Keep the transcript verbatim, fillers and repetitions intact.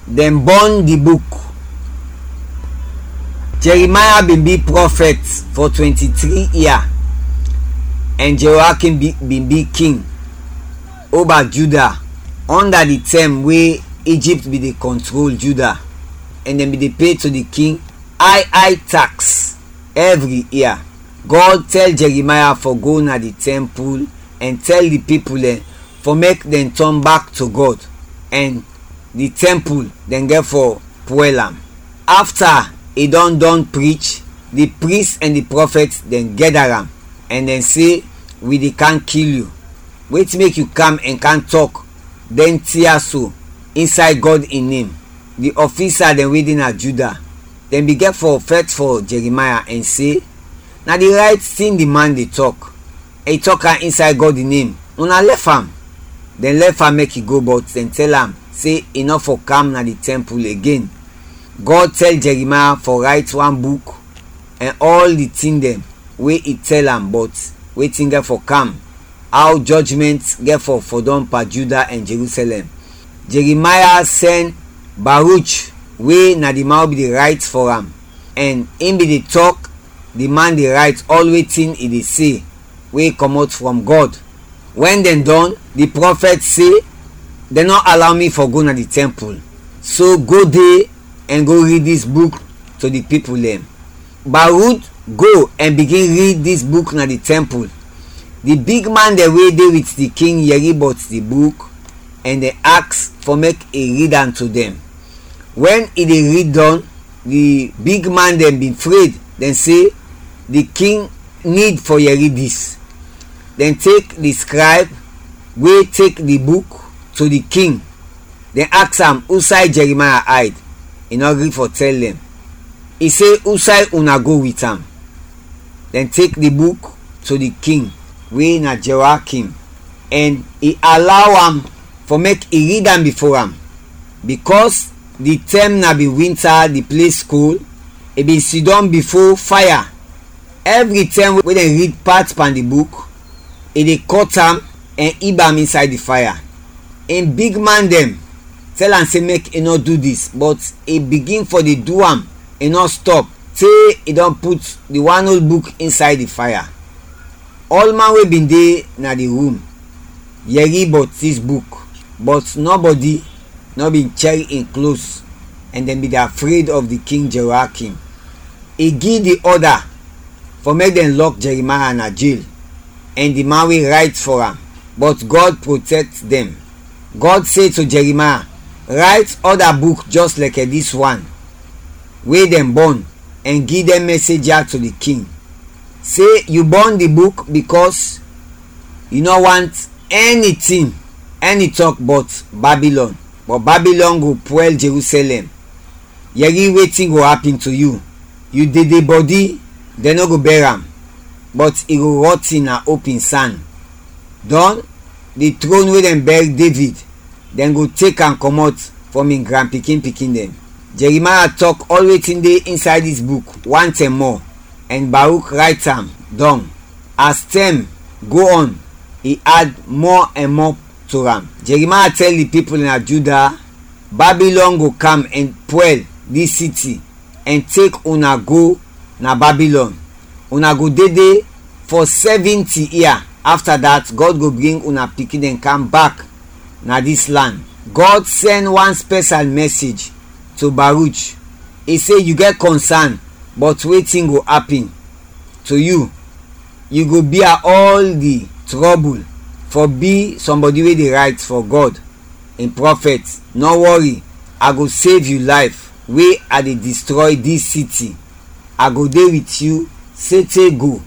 Dɛn bɔn di buk. Jeremaya bin bi prɔfɛt fɔ twenti-tri ia, ɛn Jeoakim bi- bin bi king oba Juda, ɔnda di tɛm we Ijipt bin de kɔntrol Juda, ɛn dɛn bin de pe to di king ay ay taks ɛvri ia. Gɔd tɛl Jeremaya fɔ go na di tɛmpul ɛn tɛl di pipul dɛn fɔ mek dɛn tɔn bak to Gɔd, ɛn di tɛmpul dɛn gɛt fɔ pwɛl am. Afta i dɔn dɔn prich, di pris ɛn di prɔfɛt dɛn gɛda am, ɛn dɛn se, "Wi de kam kil yu. Wetin mek yu kam ɛn kam tɔk dɛn tin ya so insay Gɔd in nem?" Di ɔfisa dɛn we de na Juda, dɛn bin gɛt fɔ fɛt fɔ Jeremaya ɛn se, "Na di rayt tin di man de tɔk, i tɔk am insay Gɔd in nem, una lɛf am." Dɛn lɛf am mek i go, bɔt dɛn tɛl am se i nɔ fɔ kam na di tɛmpul igen. Gɔd tɛl Jeremaya fɔ rayt wan buk ɛn ɔl di tin dɛn we i tɛl am bɔt wetin gɛt fɔ kam, aw jɔjmɛnt gɛt fɔ fɔdɔm pan Juda ɛn Jerusɛlɛm. Jeremaya sɛn Baruch, we na di man we bin de rayt fɔ am, ɛn in bin de tɔk di man de rayt ɔl wetin i de se we kɔmɔt frɔm Gɔd. Wɛn dɛn dɔn, di prɔfɛt se, "Dɛn nɔ alaw mi fɔ go na di tɛmpul, so go de ɛn go rid dis buk to di pipul dɛn." Baruk go ɛn bigin rid dis buk na di tɛmpul. Di bigman dɛn we de wit di king yɛri bɔt di buk, ɛn dɛn aks fɔ mek i rid am to dɛn. Wɛn i de rid dɔn, di bigman dɛn bin fred, dɛn se, "Di king nid fɔ yɛri dis." Dɛn tek di skrayb we tek di buk to di king. Dɛn aks am usay Jeremaya ayd. I nɔ gri fɔ tɛl dɛn. I se, "Usay una go wit am?" Dɛn tek di buk to di king, we na Jeoakim, ɛn i alaw am fɔ mek i rid am bifo am. Bikɔs di tɛm na bin winta, di ples kol, i bin sidɔm bifo faya. Ɛvri tɛm we dɛn rid pat pan di buk, i de kɔt am ɛn ib am insay di faya. In bigman dɛn tɛl am se mek i nɔ du dis, bɔt i bigin fɔ de du am, i nɔ stɔp, te i dɔn put di wan ol buk insay di faya. Ɔlman we bin de na di rum yɛri bɔt dis buk, bɔt nɔbɔdi nɔ bin chɛr in klos, ɛn dɛn bin de afred of di king Jeoakim. I gi di ɔda fɔ mek dɛn lɔk Jeremaya na jel, ɛn di man we rayt fɔ am, bɔt Gɔd protɛkt dɛn. Gɔd se to Jeremaya, "Rayt ɔda buk jɔs lɛkɛ dis wan we dɛn bɔn, ɛn gi dɛn mɛsej ya to di king, se yu bɔn di buk bikɔs yu nɔ want ɛni tin, ɛni tɔk bɔt Babilɔn, bɔt Babilɔn go pwɛl Jerusɛlɛm. Yɛri wetin go apin to yu. Yu dede bɔdi, dɛn nɔ go bɛr am, bɔt i go rɔtin na opin san. Dɔn, di tron we dɛn bɛr Devid, dɛn go tek am kɔmɔt frɔm in granpikin-pikin dɛn." Jeremaya tɔk ɔl wetin de insay dis buk wan tɛm mɔ, ɛn Baruk rayt am dɔng. As tɛm go ɔn, i ad mɔ ɛn mɔ to am. Jeremaya tɛl di pipul na Juda, "Babilɔn go kam ɛn pwɛl dis siti ɛn tek una go na Babilɔn. Una go dede fɔ sɛvɛnti ia. Afta dat, Gɔd go bring una pikin dɛn kam bak na dis lan." Gɔd sɛn wan spɛsal mɛsej to Baruch. I se, "Yu gɛt kɔnsan bɔt wetin go apin to yu. Yu go bia ɔl di trɔbul fɔ bi sɔmbɔdi we de rayt fɔ Gɔd in prɔfɛt. Nɔ wɔri, a go sev yu layf we a de distrɔy dis siti. A go de wit yu sete go."